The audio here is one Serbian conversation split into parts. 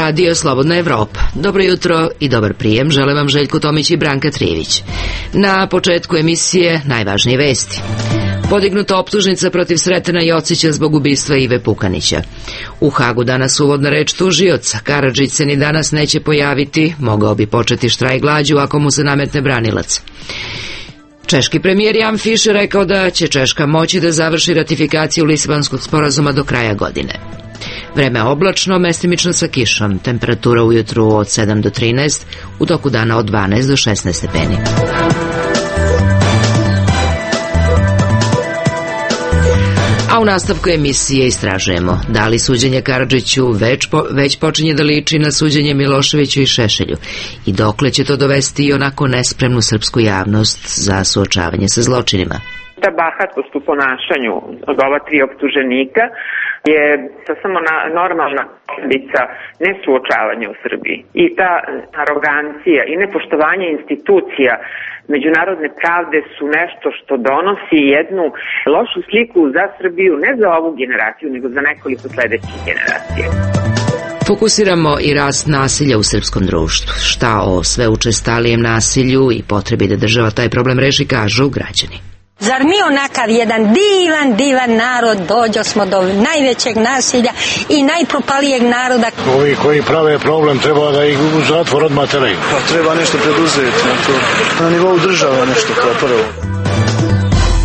Radio Slobodna Evropa. Dobro jutro i dobar prijem žele vam Željko Tomić i Branka Trijević. Na početku emisije najvažnije vesti. Podignuta optužnica protiv Sretena Jocića zbog ubistva Ive Pukanića. U Hagu danas uvodna reč tužioca. Karadžić se ni danas neće pojaviti, mogao bi početi štrajk glađu ako mu se nametne branilac. Češki premijer Jan Fischer rekao da će Češka moći da završi ratifikaciju Lisabonskog sporazuma do kraja godine. Vreme oblačno, mestimično sa kišom. Temperatura ujutru od 7 do 13, u toku dana od 12 do 16 stepeni. A u nastavku emisije istražujemo da li suđenje Karadžiću već počinje da liči na suđenje Miloševiću i Šešelju i dokle će to dovesti i onako nespremnu srpsku javnost za suočavanje sa zločinima. Ta bahatost u ponašanju od ova tri optuženika je samo normalna posljedica nesuočavanja u Srbiji. I ta arogancija i nepoštovanje institucija međunarodne pravde su nešto što donosi jednu lošu sliku za Srbiju, ne za ovu generaciju, nego za nekoliko sledećih generacija. Fokusiramo i rast nasilja u srpskom društvu. Šta o sve učestalijem nasilju i potrebi da država taj problem reši, kažu građani. Zar mi onakav jedan divan narod dođo smo do najvećeg nasilja i najpropalijeg naroda? Ovi koji prave problem treba da ih u zatvor odmah teraju. Pa treba nešto preduzeti na nivou države, nešto kao prvo.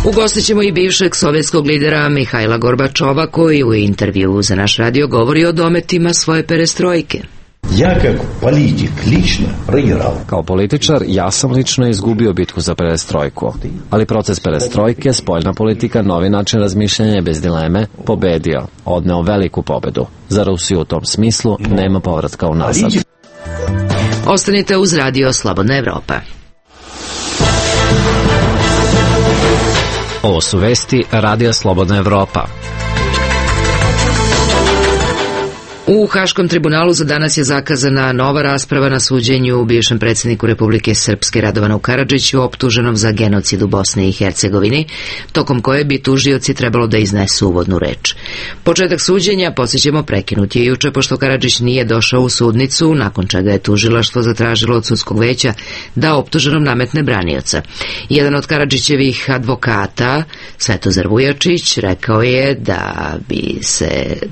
Ugostit ćemo i bivšeg sovjetskog lidera Mihajla Gorbačova, koji u intervju za naš radio govori o dometima svoje perestrojke. Ja kao politik lično proigral. Kao političar ja sam lično izgubio bitku za perestrojku, ali proces perestrojke, spoljna politika, novi način razmišljanja bez dileme, pobedio, odneo veliku pobedu. Za Rusiju u tom smislu nema povratka unazad. Ostanite uz Radio Slobodna Evropa. Ovo su vesti Radio Slobodna Evropa. U Haškom tribunalu za danas je zakazana nova rasprava na suđenju bivšem predsjedniku Republike Srpske Radovanu Karadžiću, optuženom za genocid u Bosni i Hercegovini, tokom koje bi tužioci trebalo da iznesu uvodnu reč. Početak suđenja, podsjećamo, prekinut je juče pošto Karadžić nije došao u sudnicu, nakon čega je tužilaštvo zatražilo od sudskog veća da optuženom nametne branioca. Jedan od Karadžićevih advokata, Svetozar Vujačić, rekao je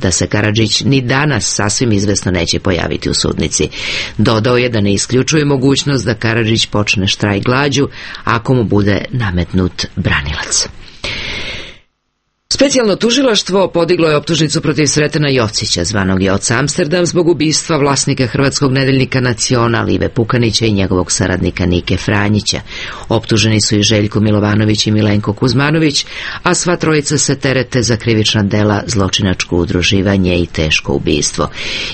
da se Karadžić ni danas sasvim izvesno neće pojaviti u sudnici. Dodao je da ne isključuje mogućnost da Karadžić počne štrajk glađu ako mu bude nametnut branilac. Specijalno tužilaštvo podiglo je optužnicu protiv Sretena Jocića, zvanog Joca Amsterdam, zbog ubistva vlasnika hrvatskog nedeljnika Nacional Ive Pukanića i njegovog saradnika Nike Franjića. Optuženi su i Željko Milovanović i Milenko Kuzmanović, a sva trojica se terete za krivična dela, zločinačko udruživanje i teško ubistvo.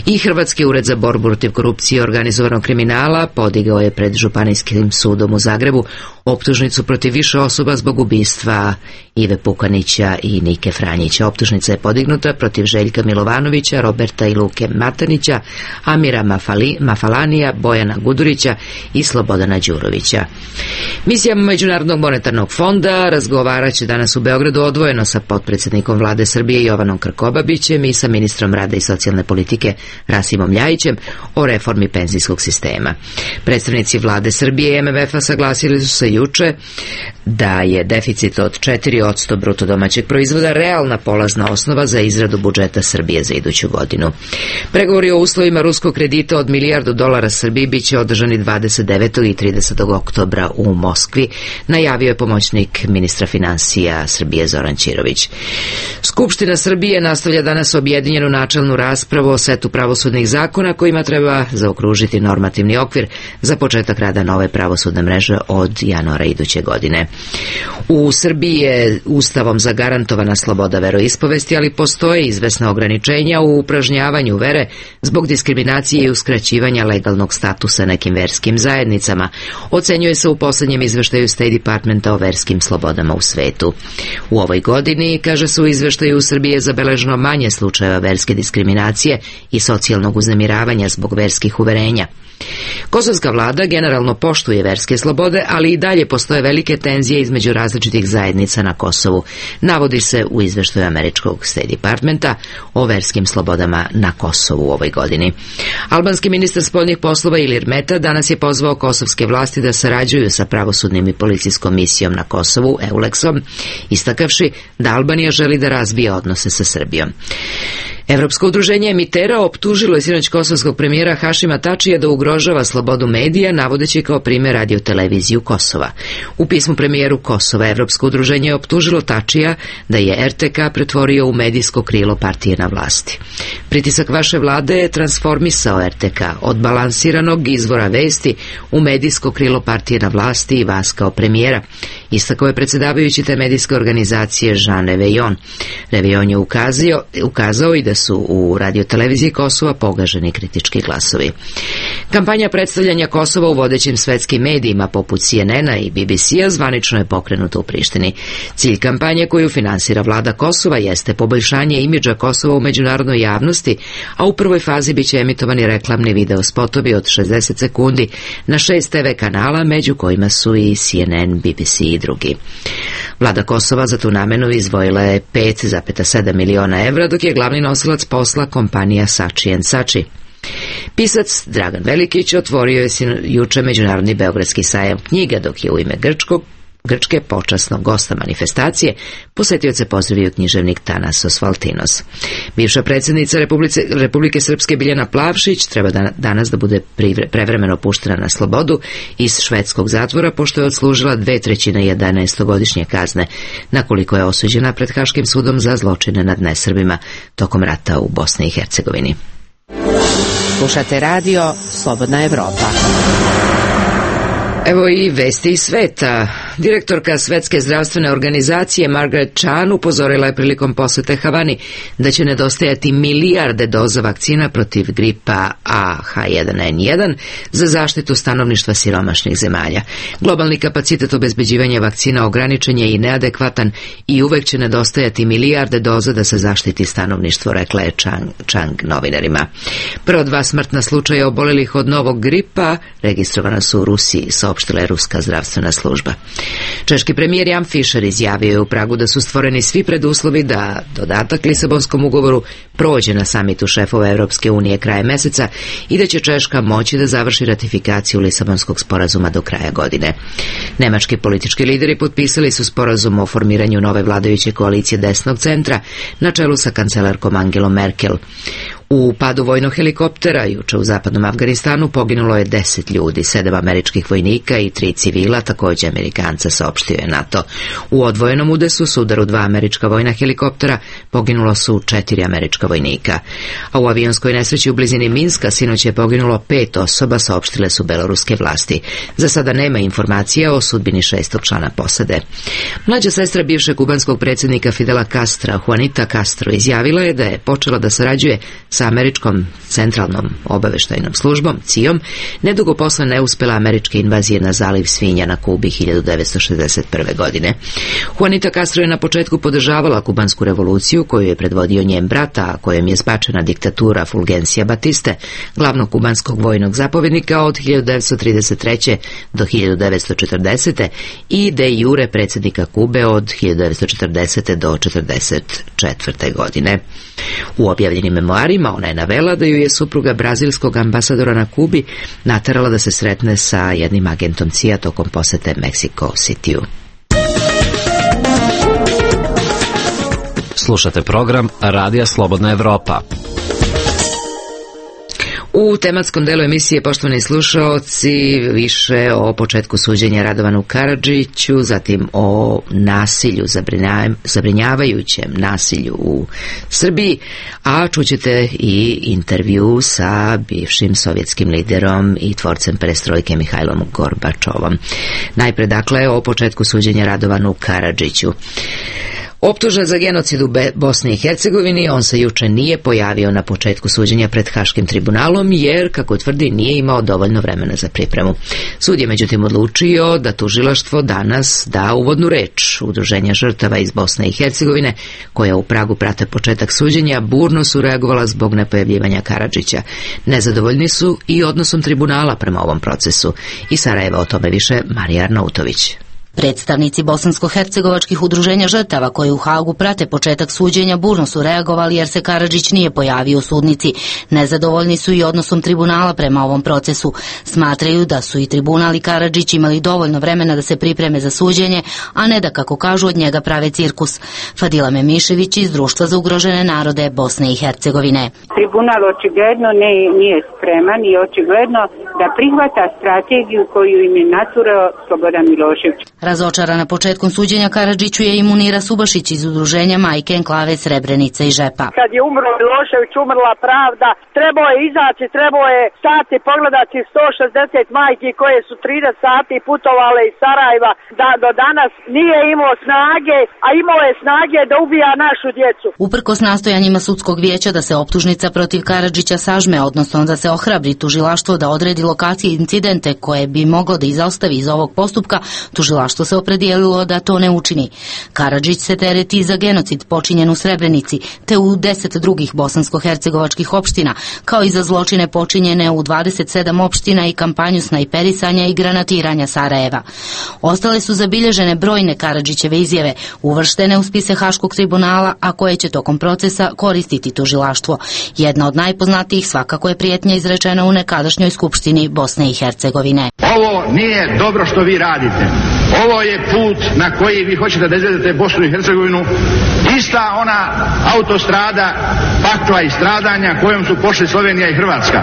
I Hrvatski ured za borbu protiv korupcije i organizovanog kriminala podigao je pred Županijskim sudom u Zagrebu optužnicu protiv više osoba zbog ubistva Ive Pukanića i Nike Franjića. Optužnica je podignuta protiv Željka Milovanovića, Roberta i Luke Matanića, Amira Mafalanija, Bojana Gudurića i Slobodana Đurovića. Misija Međunarodnog monetarnog fonda razgovarat će danas u Beogradu odvojeno sa potpredsjednikom vlade Srbije Jovanom Krkobabićem i sa ministrom rada i socijalne politike Rasimom Ljajićem o reformi penzijskog sistema. Predstavnici vlade Srbije i MMF-a saglasili su se juče da je deficit od 4% bruto domaćeg proizvoda realna polazna osnova za izradu budžeta Srbije za iduću godinu. Pregovori o uslovima ruskog kredita od $1 milijardu Srbiji biće održani 29. i 30. oktobra u Moskvi, najavio je pomoćnik ministra finansija Srbije Zoran Ćirović. Skupština Srbije nastavlja danas objedinjenu načelnu raspravu o setu pravosudnih zakona kojima treba zaokružiti normativni okvir za početak rada nove pravosudne mreže od januara iduće godine. U Srbiji je Ustavom zagarantovana sloboda veroispovesti, ali postoje izvesna ograničenja u upražnjavanju vere zbog diskriminacije i uskraćivanja legalnog statusa nekim verskim zajednicama, ocenjuje se u poslednjem izveštaju State Departmenta o verskim slobodama u svetu. U ovoj godini, kaže se u izveštaju, u Srbiji je zabeleženo manje slučajeva verske diskriminacije i socijalnog uznemiravanja zbog verskih uverenja. Kosovska vlada generalno poštuje verske slobode, ali i dalje postoje velike tenzije između različitih zajednica na Kosovu, navodi se u izveštaju američkog State Departmenta o verskim slobodama na Kosovu u ovoj godini. Albanski ministar spoljnih poslova Ilir Meta danas je pozvao kosovske vlasti da sarađuju sa pravosudnim i policijskom misijom na Kosovu, EULEX-om, istakavši da Albanija želi da razvije odnose sa Srbijom. Evropsko udruženje emitera optužilo je sinoć kosovskog premijera Hašima Tačija da ugrožava slobodu medija, navodeći kao primjer radioteleviziju Kosova. U pismu premijeru Kosova Evropsko udruženje je optužilo Tačija da je RTK pretvorio u medijsko krilo partije na vlasti. Pritisak vaše vlade je transformisao RTK od balansiranog izvora vesti u medijsko krilo partije na vlasti i vas kao premijera, istakao je predsjedavajući te medijske organizacije Jean Reveillon. Reveillon je ukazao i da su u radioteleviziji Kosova pogaženi kritički glasovi. Kampanja predstavljanja Kosova u vodećim svetskim medijima poput CNN-a i BBC-a zvanično je pokrenuta u Prištini. Cilj kampanje koju finansira vlada Kosova jeste poboljšanje imidža Kosova u međunarodnoj javnosti, a u prvoj fazi biće emitovani reklamni video spotovi od 60 sekundi na 6 TV kanala, među kojima su i CNN, BBC i drugi. Vlada Kosova za tu namenu izdvojila je 5,7 miliona evra, dok je glavni nosilac posla kompanija Sači & Sači. Pisac Dragan Velikić otvorio je juče Međunarodni beogradski sajam knjiga, dok je u ime Grčke počasnog gosta manifestacije posetioce pozdravio književnik Tanasos Valtinos. Bivša predsjednica Republike Srpske Biljana Plavšić treba danas da bude prevremeno puštena na slobodu iz švedskog zatvora, pošto je odslužila 2/3 11-godišnje kazne, na koliko je osuđena pred Haškim sudom za zločine nad nesrbima tokom rata u Bosni i Hercegovini. Slušate radio Slobodna Evropa. Evo i vesti iz sveta. Direktorka Svetske zdravstvene organizacije Margaret Chan upozorila je prilikom posete Havani da će nedostajati milijarde doza vakcina protiv gripa AH1N1 za zaštitu stanovništva siromašnih zemalja. Globalni kapacitet obezbeđivanja vakcina ograničen je i neadekvatan i uvek će nedostajati milijarde doza da se zaštiti stanovništvo, rekla je Chang novinarima. Prva 2 smrtna slučaja obolelih od novog gripa registrovana su u Rusiji, saopštila je ruska zdravstvena služba. Češki premijer Jan Fischer izjavio je u Pragu da su stvoreni svi preduslovi da dodatak Lisabonskom ugovoru prođe na samitu šefova Europske unije krajem meseca i da će Češka moći da završi ratifikaciju Lisabonskog sporazuma do kraja godine. Nemački politički lideri potpisali su sporazum o formiranju nove vladajuće koalicije desnog centra na čelu sa kancelarkom Angelom Merkel. U padu vojnog helikoptera juče u zapadnom Afganistanu poginulo je 10 ljudi, 7 američkih vojnika i 3 civila, također Amerikanca, saopštio je NATO. U odvojenom udesu s udaru 2 američka vojna helikoptera poginulo su 4 američka vojnika. A u avionskoj nesreći u blizini Minska sinoć je poginulo 5 osoba, saopštile su beloruske vlasti. Za sada nema informacija o sudbini 6. člana posade. Mlađa sestra bivšeg kubanskog predsjednika Fidela Castra, Juanita Castro, izjavila je da je počela da sarađuje sa američkom centralnom obaveštajnom službom, CIA-om, nedugo posle neuspela američke invazije na zaliv Svinja na Kubi 1961. godine. Juanita Castro je na početku podržavala kubansku revoluciju koju je predvodio njen brat, a kojem je zbačena diktatura Fulgencija Batiste, glavnog kubanskog vojnog zapovjednika od 1933. do 1940. i de jure predsjednika Kube od 1940. do 1944. godine. U objavljenim memoarima ona je navela da ju je supruga brazilskog ambasadora na Kubi naterala da se sretne sa jednim agentom CIA tokom posete Mexico City-u. Slušate program Radija Slobodna Evropa. U tematskom delu emisije, poštovani slušaoci, više o početku suđenja Radovanu Karadžiću, zatim o nasilju, zabrinjavajućem nasilju u Srbiji, a čućete i intervju sa bivšim sovjetskim liderom i tvorcem perestrojke Mihajlom Gorbačovom. Najpre, dakle, o početku suđenja Radovanu Karadžiću. Optužen za genocid u Bosni i Hercegovini, on se juče nije pojavio na početku suđenja pred Haškim tribunalom jer, kako tvrdi, nije imao dovoljno vremena za pripremu. Sud je međutim odlučio da tužilaštvo danas da uvodnu reč. Udruženja žrtava iz Bosne i Hercegovine, koja u Pragu prate početak suđenja, burno su reagovala zbog nepojavljivanja Karadžića. Nezadovoljni su i odnosom tribunala prema ovom procesu. Iz Sarajeva o tome više Marija Arnautović. Predstavnici bosansko-hercegovačkih udruženja žrtava koji u Hagu prate početak suđenja burno su reagovali jer se Karadžić nije pojavio u sudnici. Nezadovoljni su i odnosom tribunala prema ovom procesu. Smatraju da su i tribunal i Karadžić imali dovoljno vremena da se pripreme za suđenje, a ne da, kako kažu, od njega prave cirkus. Fadila Memišević iz Društva za ugrožene narode Bosne i Hercegovine. Tribunal očigledno nije spreman i očigledno da prihvata strategiju koju im je naturao Slobodan Milošević. Razočarana početkom suđenja Karadžiću je i Munira Subašić iz udruženja Majke Enklave Srebrenica i Žepa. Kad je umro Milošević, umrla pravda, trebao je izaći, trebao je stati, pogledati 160 majki koje su 30 sati putovale iz Sarajeva, da do danas nije imao snage, a imao je snage da ubija našu djecu. Uprkos nastojanjima sudskog vijeća da se optužnica protiv Karadžića sažme, odnosno da se ohrabri tužilaštvo da odredi lokacije incidente koje bi moglo da izostavi iz ovog postupka, tužilaštvo se opredijelilo da to ne učini. Karadžić se tereti za genocid počinjen u Srebrenici, te u 10 drugih bosansko-hercegovačkih opština, kao i za zločine počinjene u 27 opština i kampanju snajperisanja i granatiranja Sarajeva. Ostale su zabilježene brojne Karadžićeve izjave, uvrštene u spise Haškog tribunala, a koje će tokom procesa koristiti tužilaštvo. Jedna od najpoznatijih svakako je prijetnja izrečena u nekadašnjoj skupštini Bosne i Hercegovine. Ovo nije dobro što vi radite. Ovo je put na koji vi hoćete da izvedete Bosnu i Hercegovinu. Ista ona autostrada pakla i stradanja kojom su pošli Slovenija i Hrvatska.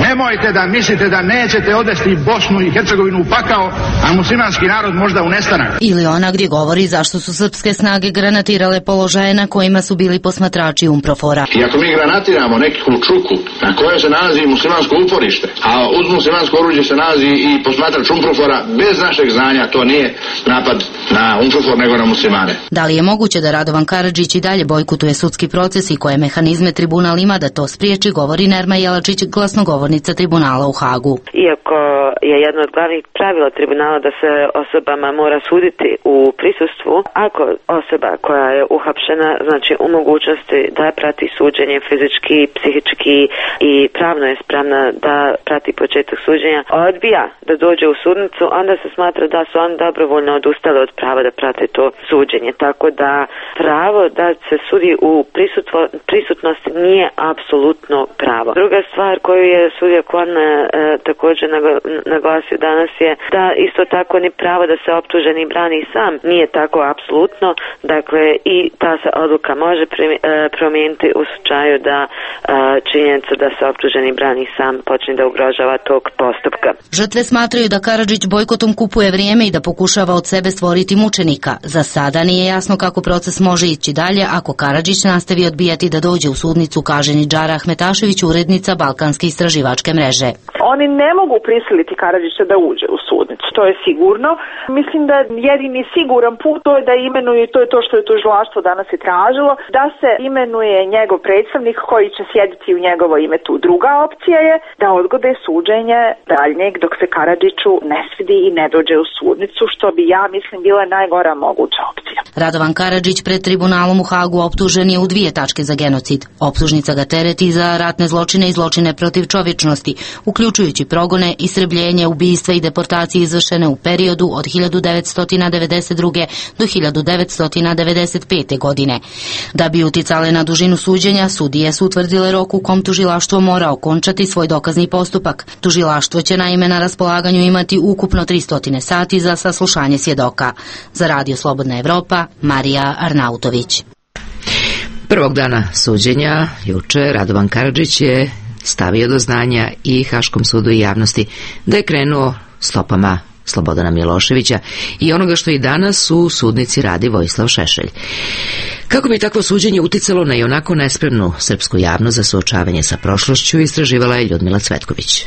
Nemojte da mislite da nećete odvesti Bosnu i Hercegovinu u pakao, a muslimanski narod možda u nestanak. Ili ona gdje govori zašto su srpske snage granatirale položaje na kojima su bili posmatrači UNPROFOR-a. I ako mi granatiramo neku čuku na kojoj se nalazi muslimansko uporište, a uz muslimansko oruđe se nalazi i posmatrač UNPROFOR-a, bez našeg znanja to nije napad na UNPROFOR nego na muslimane. Da li je moguće da Radovan Karadžić i dalje bojkotuje sudski proces i koje mehanizme tribunal ima da to spriječi, govori Nerma Jelačić, glasnogovornica tribunala u Hagu. Iako je jedno od glavnih pravila tribunala da se osobama mora suditi u prisustvu, ako osoba koja je uhapšena, znači u mogućnosti da prati suđenje fizički, psihički i pravno je spremna da prati početak suđenja, odbija da dođe u sudnicu, onda se smatra da su oni dobrovoljno odustali od prava da prate to suđenje. Tako da pravo da se sudi u prisutnosti nije apsolutno pravo. Druga stvar koju je sudija Korne također naglasio danas je da isto tako ni pravo da se optuženi brani sam nije tako apsolutno. Dakle, i ta se odluka može promijeniti u slučaju da činjenica da se optuženi brani sam počne da ugrožava tog postupka. Žrtve smatraju da Karadžić bojkotom kupuje vrijeme i da pokušava od sebe stvoriti mučenika. Za sada nije jasno kako proces može ići dalje ako Karadžić nastavi odbijati da dođe u sudnicu, kaže Nidžara Ahmetašević, urednica Balkanske istraživačke mreže. Oni ne mogu prisiliti Karadžića da uđe u sudnicu, to je sigurno. Mislim da jedini siguran put to je da imenuje, to je to što je tužilaštvo danas i tražilo, da se imenuje njegov predstavnik koji će sjediti u njegovo ime tu. Druga opcija je da odgode suđenje daljnjeg dok se Karadžiću ne svidi i ne dođe u sudnicu, što bi, ja mislim, bila najgora moguća opcija. Radovan Karadžić pred tribunalom u Hagu optužen je u 2 tačke za genocid. Optužnica ga tereti za ratne zločine i zločine protiv čovječnosti, uključujući progone, istrebljenje, ubistva i deportacije izvršene u periodu od 1992. do 1995. godine. Da bi uticale na dužinu suđenja, sudije su utvrdile rok u kom tužilaštvo mora okončati svoj dokazni postupak. Tužilaštvo će naime na raspolaganju imati ukupno 300 sati za saslušanje svjedoka. Za Radio Slobodna Evropa, Marija Arnautović. Prvog dana suđenja, juče, Radovan Karadžić je stavio do znanja i Haškom sudu i javnosti da je krenuo stopama Slobodana Miloševića i onoga što i danas u sudnici radi Vojislav Šešelj. Kako bi takvo suđenje uticalo na ionako nespremnu srpsku javnost za suočavanje sa prošlošću, istraživala je Ljudmila Cvetković.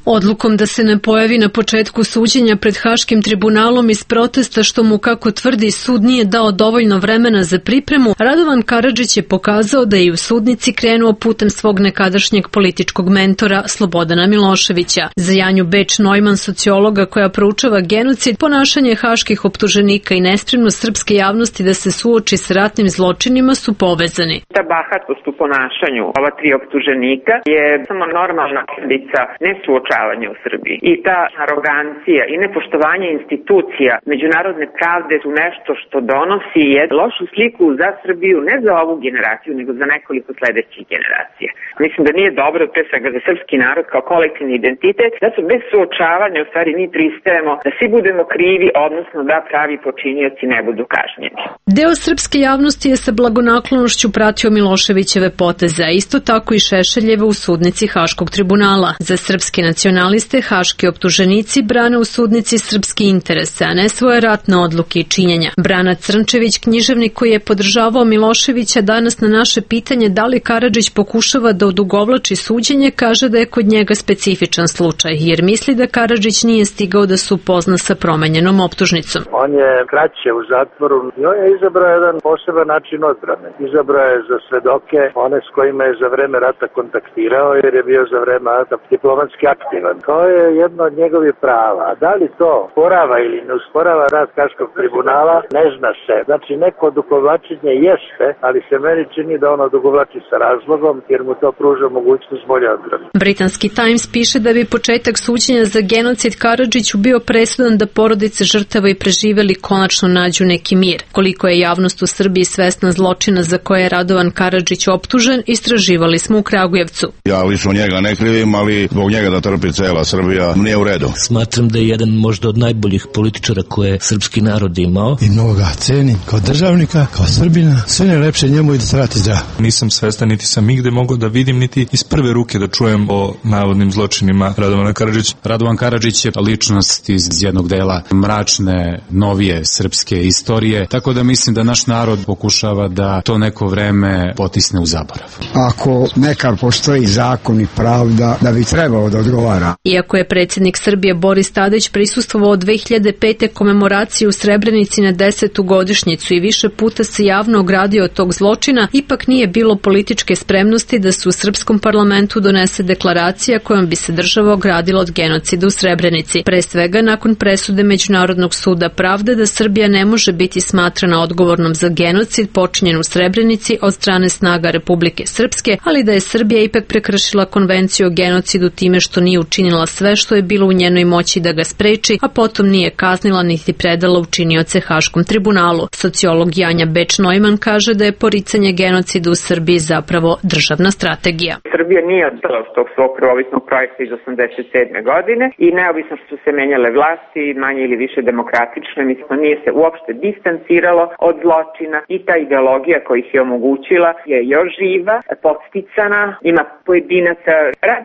Odlukom da se ne pojavi na početku suđenja pred Haškim tribunalom iz protesta što mu, kako tvrdi, sud nije dao dovoljno vremena za pripremu, Radovan Karadžić je pokazao da je i u sudnici krenuo putem svog nekadašnjeg političkog mentora Slobodana Miloševića. Za Janju Beč-Neumann, sociologa koja proučava genocid, ponašanje haških optuženika i nespremnost srpske javnosti da se suoči s ratnim zločinima su povezani. Ta bahatost u ponašanju ova tri optuženika je samo normalna posledica nesuočavanja u Srbiji. I ta arogancija i nepoštovanje institucija međunarodne pravde su nešto što donosi lošu sliku za Srbiju, ne za ovu generaciju, nego za nekoliko sledećih generacija. Mislim da nije dobro, pre svega za srpski narod kao kolektivni identitet, da su bez suočavanja u stvari mi pristajemo da svi budemo krivi, odnosno da pravi počinioci ne budu kažnjeni. Deo srpske javnosti je sa blagonaklonošću pratio Miloševićeve poteze, a isto tako i Šešeljeve u sudnici Haškog tribunala. Za srpske nacionaliste haški optuženici brane u sudnici srpski interese, a ne svoje ratne odluke i činjenja. Brana Crnčević, književnik koji je podržavao Miloševića, danas na naše pitanje da li Karadžić pokušava da odugovlači suđenje, kaže da je kod njega specifičan slučaj, jer misli da Karadžić nije stigao da se upozna sa promenjenom optužnicom. On je kraće u zatvoru i on je izabrao jedan poseban način odbrane. Izabrao je za svedoke one s kojima je za vreme rata kontaktirao, jer je bio za vreme rata diplomatski aktivan. To je jedno od njegovih prava. A da li to usporava ili ne usporava rad Haškog tribunala, ne zna se. Znači, neko odugovlačenje jeste, ali se meni čini da ono odugovlači sa razlogom, jer mu to pruža mogućnost bolje odbrane. Britanski Times piše da bi početak suđenja za genocid Karadžiću bio presudan da porodice žrtava i preživeli konačno nađu neki mir. Koliko je javnost u Srbiji svesna zločina za koje je Radovan Karadžić optužen, istraživali smo u Kragujevcu. Ja lično njega ne krivim, ali zbog njega da trpi cela Srbija nije u redu. Smatram da je jedan možda od najboljih političara koje srpski narod imao. I mnogo ga cenim kao državnika, kao Srbina. Sve najlepše njemu i da se vrati zdrav. Nisam svestan, niti sam igde mogao da vidim, niti iz prve ruke da čujem o navodnim zločinima Radovana Karadžića. Radovan Karadžić je ličnost iz jednog dela mračne, novije srpske istorije, tako da mislim da naš narod pokušava da to neko vreme potisne u zaborav. Ako nekad postoji zakon i pravda, da bi trebalo da odgovara. Iako je predsjednik Srbije Boris Tadić prisustvovao 2005. komemoraciji u Srebrenici na 10. godišnjicu i više puta se javno ogradio od tog zločina, ipak nije bilo političke spremnosti da se u srpskom parlamentu donese deklaracija kojom bi se država ogradila od genocida u Srebrenici. Pre svega nakon presude Međunarodnog suda pravde da Srbija ne može biti smatrana odgovornom za genocid počinjen u Srebrenici od strane snaga Republike Srpske, ali da je Srbija ipak prekršila konvenciju o genocidu time što nije učinila sve što je bilo u njenoj moći da ga spreči, a potom nije kaznila niti predala učinioce Haškom tribunalu. Sociolog Janja Beč-Neumann kaže da je poricanje genocida u Srbiji zapravo državna strategija. Srbija nije odstala od tog svog prvovisnog projekta iz 87. godine i neovisno što su se menjale vlasti, manje ili više demokratično, mislim, nije se uopšte distanciralo od zločina i ta ideologija koja ih je omogućila je još živa, podsticana, ima pojedinaca,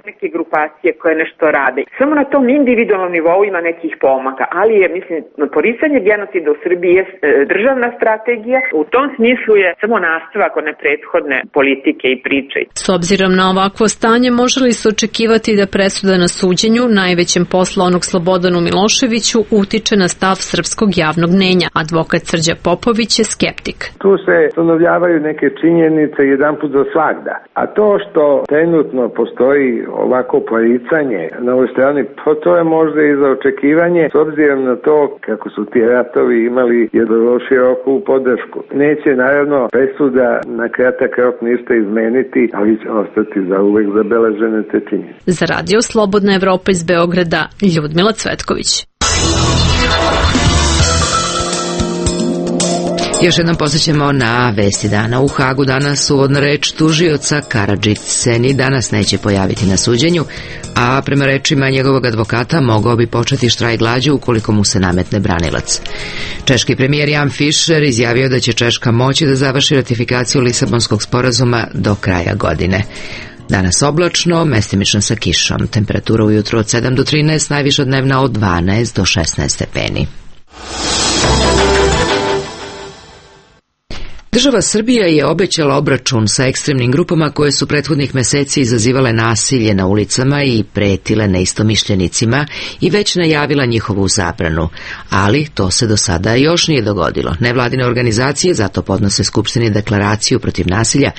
neke grupacije koje nešto rade. Samo na tom individualnom nivou ima nekih pomaka, ali je, mislim, poricanje genocida u Srbiji je državna strategija. U tom smislu je samo nastavak one prethodne politike i priče. S obzirom na ovakvo stanje, može li se očekivati da presuda na suđenju, najvećem posla onog Slobodanu Miloševiću, utiče na stav srpskog javnog mnenja? Advokat Srđa Popović je skeptik. Tu se ustanovljavaju neke činjenice jedanput za svagda. A to što trenutno postoji ovako poricanje na ovoj strani, to je možda i za očekivanje, s obzirom na to kako su ti ratovi imali jednu široku podršku. Neće naravno presuda na kratak rok ništa izmeniti, ali će ostati za uvek zabeležene te činjenice. Za Radio Slobodna Evropa iz Beograda, Ljudmila Cvetković. Još jednom posjećamo na vesti dana. U Hagu danas uvodna reč tužioca Karadžić se ni danas neće pojaviti na suđenju, a prema rečima njegovog advokata mogao bi početi štrajk glađu ukoliko mu se nametne branilac. Češki premijer Jan Fischer izjavio da će Češka moći da završi ratifikaciju Lisabonskog sporazuma do kraja godine. Danas oblačno, mestimično sa kišom. Temperatura ujutro od 7 do 13, najviša dnevna od 12 do 16 stepeni. Država Srbija je obećala obračun sa ekstremnim grupama koje su prethodnih meseci izazivale nasilje na ulicama i pretile neistomišljenicima i već najavila njihovu zabranu, ali to se do sada još nije dogodilo. Nevladine organizacije zato podnose Skupštini deklaraciju protiv nasilja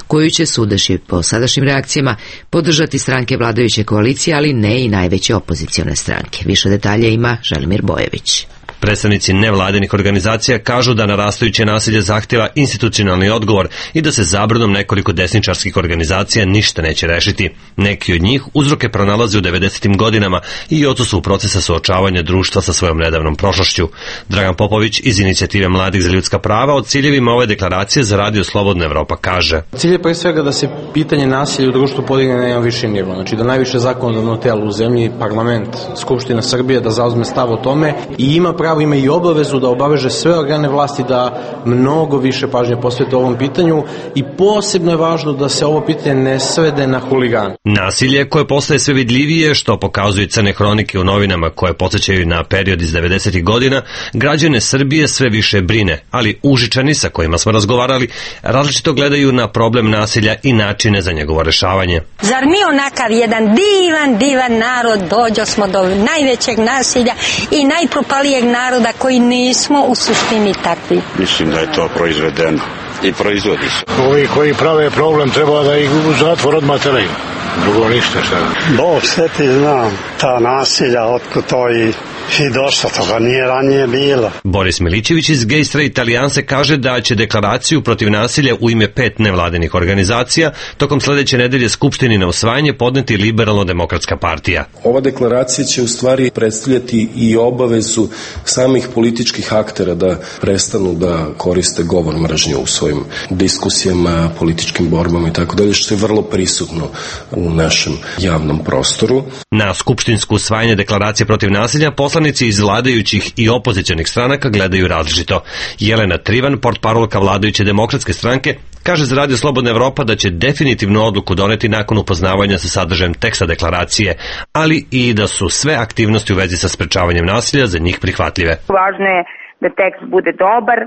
koju će, sudeći po sadašnjim reakcijama, podržati stranke vladajuće koalicije, ali ne i najveće opozicione stranke. Više detalja ima Želimir Bojević. Predstavnici nevladinih organizacija kažu da narastajuće nasilje zahtjeva institucionalni odgovor i da se zabranom nekoliko desničarskih organizacija ništa neće rešiti. Neki od njih uzroke pronalaze u 90. godinama i odsustvu procesa suočavanja društva sa svojom nedavnom prošlošću. Dragan Popović iz Inicijative mladih za ljudska prava o ciljevima ove deklaracije za Radio Slobodna Evropa kaže: Cilj je pre svega da se pitanje nasilja u društvu podigne na jedan viši nivo, znači da najviše zakonodavno telo u zemlji, parlament, Skupština Srbije, da zauzme stav o tome i ima i obavezu da obaveže sve organe vlasti da mnogo više pažnje posvete ovom pitanju i posebno je važno da se ovo pitanje ne svede na huligane. Nasilje koje postaje sve vidljivije, što pokazuju crne hronike u novinama koje podsjećaju na period iz 90. godina, građane Srbije sve više brine, ali Užičani sa kojima smo razgovarali različito gledaju na problem nasilja i načine za njegovo rešavanje. Zar mi onakav jedan divan narod dođo smo do najvećeg nasilja i najpropalijeg naroda koji nismo u suštini takvi? Mislim da je to proizvedeno i proizvodi se. Ovi koji prave problem treba da ih u zatvor odmah teraju. Drugo ništa sad. Bog sve ti zna, ta nasilja, otkud to i došlo, toga nije ranije bilo. Boris Milićević iz Gay Straight Alijanse kaže da će deklaraciju protiv nasilja u ime 5 nevladinih organizacija tokom sledeće nedelje Skupštini na usvajanje podneti Liberalno-demokratska partija. Ova deklaracija će u stvari predstavljati i obavezu samih političkih aktera da prestanu da koriste govor mržnje u svojim diskusijama, političkim borbama i tako dalje, što je vrlo prisutno u našem javnom prostoru. Na skupštinsko usvajanje deklaracije protiv nasilja poslanici iz vladajućih i opozicionih stranaka gledaju različito. Jelena Trivan, portparolka vladajuće demokratske stranke, kaže za Radio Slobodna Evropa da će definitivnu odluku doneti nakon upoznavanja sa sadržajem teksta deklaracije, ali i da su sve aktivnosti u vezi sa sprečavanjem nasilja za njih prihvatljive. Važno je da tekst bude dobar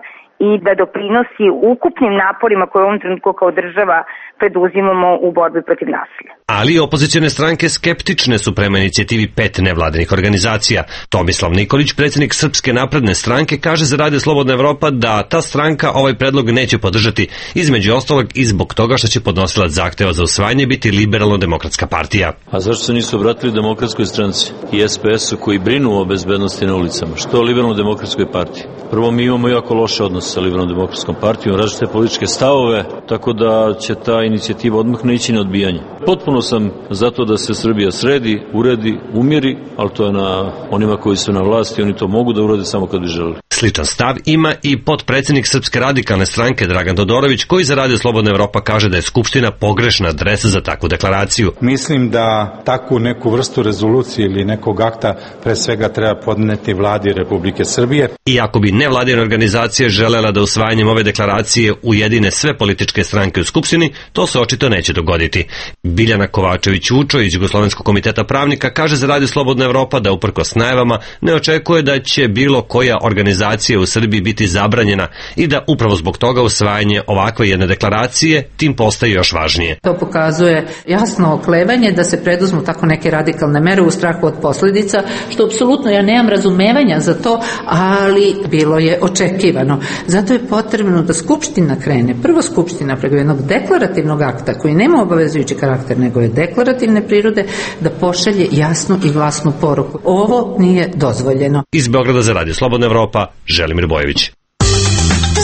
i da doprinosi ukupnim naporima koje u ovom trenutku kao država preduzimamo u borbi protiv nasilja. Ali opozicione stranke skeptične su prema inicijativi 5 nevladinih organizacija. Tomislav Nikolić, predsjednik Srpske napredne stranke, kaže za Radio Slobodna Evropa da ta stranka ovaj predlog neće podržati, između ostalog i zbog toga što će podnosilac zahteva za usvajanje biti Liberalno-demokratska partija. A zašto se nisu obratili Demokratskoj stranci i SPS-u koji brinu o bezbednosti na ulicama? Što Liberalno-demokratskoj partiji? Prvo, mi imamo jako loše odnose sa Liberalno-demokratskom partijom, različite političke stavove, tako da će ta inicijativa odmah ne ići na odbijanje. Potpuno sam zato da se Srbija sredi, uredi, umiri, ali to je na onima koji su na vlasti, oni to mogu da urade samo kad bi želeli. Sličan stav ima i potpredsjednik Srpske radikalne stranke Dragan Todorović, koji za Radio Slobodna Evropa kaže da je Skupština pogrešna adresa za takvu deklaraciju. Mislim da takvu neku vrstu rezolucije ili nekog akta pre svega treba podneti vladi Republike Srbije. Iako bi nevladine organizacije želela da usvajanjem ove deklaracije ujedine sve političke stranke u Skupštini, to se očito neće dogoditi. Biljana Kovačević-Vučo iz Jugoslovenskog komiteta pravnika kaže za Radio Slobodna Evropa da uprkos najavama ne očekuje da će bilo koja organizacija u Srbiji biti zabranjena i da upravo zbog toga usvajanje ovakve jedne deklaracije tim postaje još važnije. To pokazuje jasno oklevanje da se preduzmu tako neke radikalne mere u strahu od posljedica, što apsolutno ja nemam razumevanja za to, ali bilo je očekivano. Zato je potrebno da Skupština krene, prvo Skupština preko jednog deklarativnog akta koji nema obavezujući karakter, nego je deklarativne prirode, da pošalje jasnu i glasnu poruku. Ovo nije dozvoljeno. Iz Beograda za Radio Slobodna Evropa, Želimir Bojević.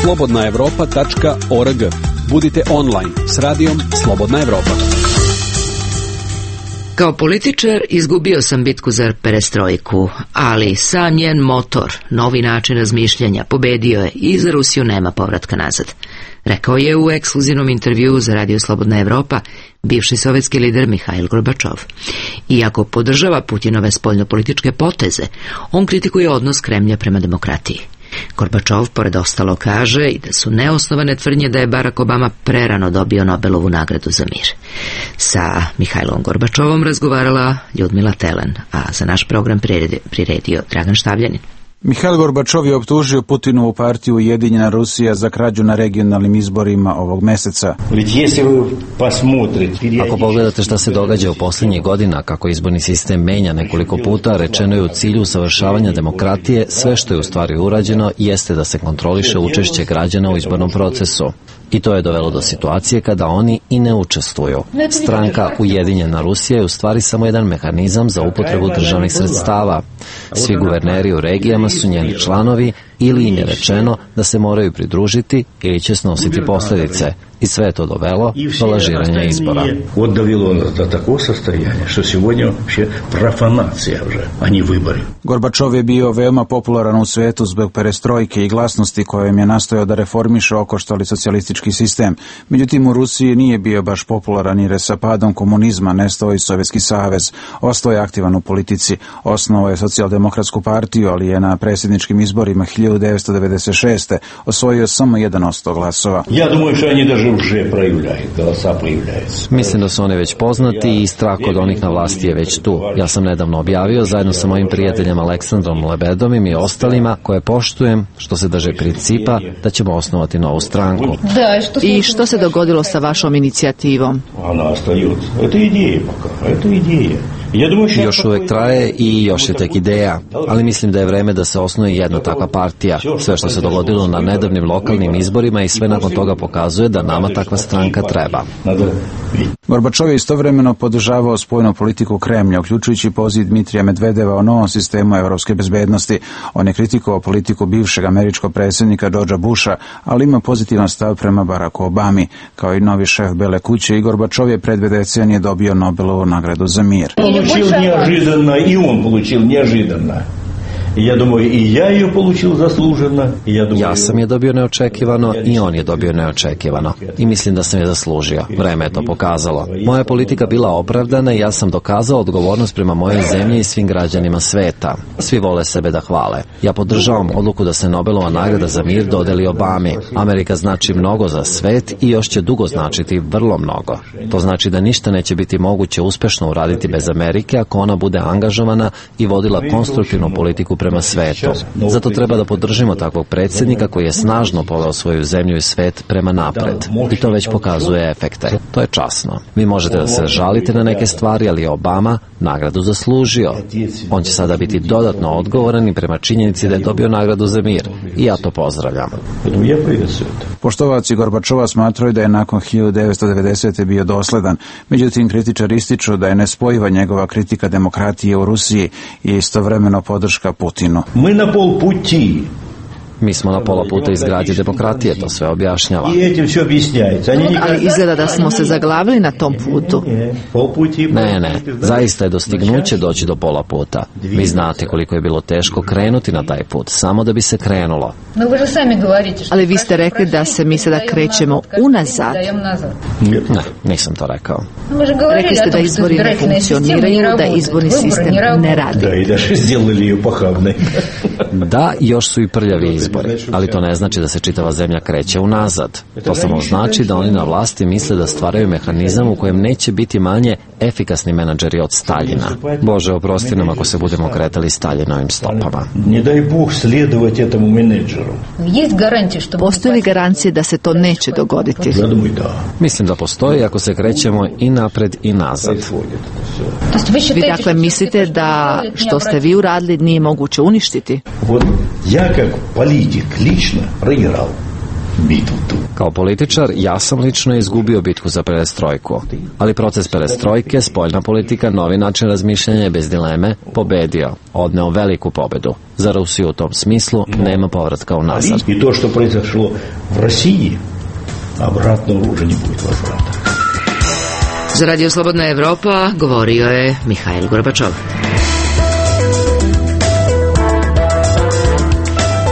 slobodnaevropa.org. Budite online s radijom Slobodna Evropa. Kao političar izgubio sam bitku za perestrojku, ali sam njen motor, novi način razmišljanja, pobedio je i za Rusiju nema povratka nazad. Rekao je u ekskluzivnom intervjuu za Radio Slobodna Evropa bivši sovjetski lider Mihajl Gorbačov. Iako podržava Putinove spoljnopolitičke poteze, on kritikuje odnos Kremlja prema demokratiji. Gorbačov pored ostalo kaže i da su neosnovane tvrdnje da je Barack Obama prerano dobio Nobelovu nagradu za mir. Sa Mihajlom Gorbačovom razgovarala Ljudmila Telen, a za naš program priredio Dragan Štavljanin. Mihail Gorbačov je optužio Putinovu partiju Ujedinjena Rusija za krađu na regionalnim izborima ovog meseca. Ako pogledate šta se događa u posljednjih godina, kako izborni sistem menja nekoliko puta, rečeno je u cilju usavršavanja demokratije, sve što je u stvari urađeno jeste da se kontroliše učešće građana u izbornom procesu. I to je dovelo do situacije kada oni i ne učestvuju. Stranka Ujedinjena Rusija je u stvari samo jedan mehanizam za upotrebu državnih sredstava. Svi guverneri u regijama su njeni članovi ili im je rečeno da se moraju pridružiti ili će snositi posljedice. I sve je to dovelo do lažiranja izbora. Gorbačov je bio veoma popularan u svetu zbog perestrojke i glasnosti kojom je nastojao da reformiše okoštali socijalistički sistem. Međutim, u Rusiji nije bio baš popularan jer je sa padom komunizma nestao i Sovjetski savez. Ostao je aktivan u politici. Osnovao je socijaldemokratsku partiju, ali je na predsjedničkim izborima 1996. osvojio samo 1% glasova. Mislim da su oni već poznati i strah od onih na vlasti je već tu. Ja sam nedavno objavio zajedno sa mojim prijateljem Aleksandrom Lebedovim i ostalima koje poštujem, što se drže principa da ćemo osnovati novu stranku. I što se dogodilo sa vašom inicijativom? Još uvek traje i još je tek ideja, ali mislim da je vreme da se osnuje jedna takva partija. Sve što se dogodilo na nedavnim lokalnim izborima i sve nakon toga pokazuje da nama takva stranka treba. Gorbačov je istovremeno podržavao spoljnu politiku Kremlja, uključujući poziv Dmitrija Medvedeva o novom sistemu evropske bezbednosti. On je kritikovao politiku bivšeg američkog predsjednika Georgea Busha, ali ima pozitivan stav prema Baracku Obami. Kao i novi šef Bele kuće, i Gorbačov je pred 2 decenije dobio Nobelovu nagradu za mir. Получил неожиданно, и он получил неожиданно. Ja думаю, i ja ju получил заслуженно. Ja sam je dobio neočekivano i on je dobio neočekivano. I mislim da sam je zaslužio. Vreme je to pokazalo. Moja politika bila opravdana i ja sam dokazao odgovornost prema mojoj zemlji i svim građanima sveta. Svi vole sebe da hvale. Ja podržavam odluku da se Nobelova nagrada za mir dodeli Obami. Amerika znači mnogo za svet i još će dugo značiti vrlo mnogo. To znači da ništa neće biti moguće uspešno uraditi bez Amerike ako ona bude angažovana i vodila konstruktivnu politiku prema svetu. Zato treba da podržimo takvog predsjednika koji je snažno poveo svoju zemlju i svet prema napred. I to već pokazuje efekte. To je časno. Vi možete da se žalite na neke stvari, ali je Obama nagradu zaslužio. On će sada biti dodatno odgovoran i prema činjenici da je dobio nagradu za mir. I ja to pozdravljam. Poštovaoci Gorbačova smatraju da je nakon 1990. bio dosledan. Međutim, kritičari ističu da je nespojiva njegova kritika demokratije u Rusiji i istovremeno podrška Putinu. Mi na pol puti. Mi smo na pola puta izgradnje demokratije, to sve objašnjava. Ali izgleda da smo se zaglavili na tom putu. Ne, zaista je dostignuće doći do pola puta. Vi znate koliko je bilo teško krenuti na taj put, samo da bi se krenulo. Ali vi ste rekli da se mi sada krećemo unazad. Ne, nisam to rekao. Rekli ste da izbori ne funkcioniraju, da izborni sistem ne radi. Da, još su i prljavi izbori, ali to ne znači da se čitava zemlja kreće unazad. To samo znači da oni na vlasti misle da stvaraju mehanizam u kojem neće biti manje efikasni menadžeri od Staljina. Bože, oprosti nam ako se budemo kretali Staljinovim stopama. Ne daj Bog sledovati etому menadžeru. Postoji li garancije da se to neće dogoditi? Mislim da postoji ako se krećemo i napred i nazad. Vi dakle mislite da što ste vi uradili nije moguće uništiti? Ja kao politik lično proigral bitvu tu. Kao političar, ja sam lično izgubio bitku za perestrojku. Ali proces perestrojke, spoljna politika, novi način razmišljanja je bez dileme pobedio, odneo veliku pobedu. Za Rusiju u tom smislu nema povratka unazad. I to što произошло v Rusiji, obratno уже не будет возврата. Za Radio Slobodna Evropa govorio je Mihail Gorbačov.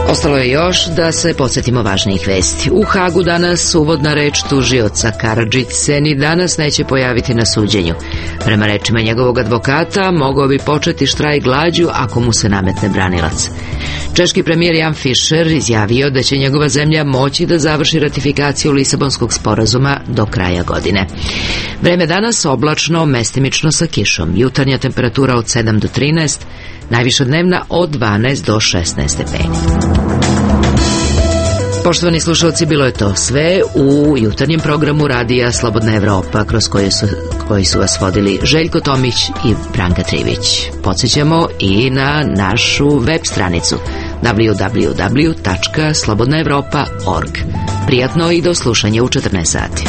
Ostalo je još da se podsjetimo važnijih vesti. U Hagu danas uvodna reč tužioca Karadžić se ni danas neće pojaviti na suđenju. Prema rečima njegovog advokata, mogao bi početi štrajk glađu ako mu se nametne branilac. Češki premijer Jan Fischer izjavio da će njegova zemlja moći da završi ratifikaciju Lisabonskog sporazuma do kraja godine. Vreme danas oblačno, mestimično sa kišom. Jutarnja temperatura od 7 do 13, najviša dnevna od 12 do 16 stepeni. Poštovani slušalci, bilo je to sve u jutarnjem programu radija Slobodna Evropa, kroz koji su vas vodili Željko Tomić i Branka Trivić. Podsjećamo i na našu web stranicu www.slobodnaevropa.org. Prijatno i do slušanja u 14 sati.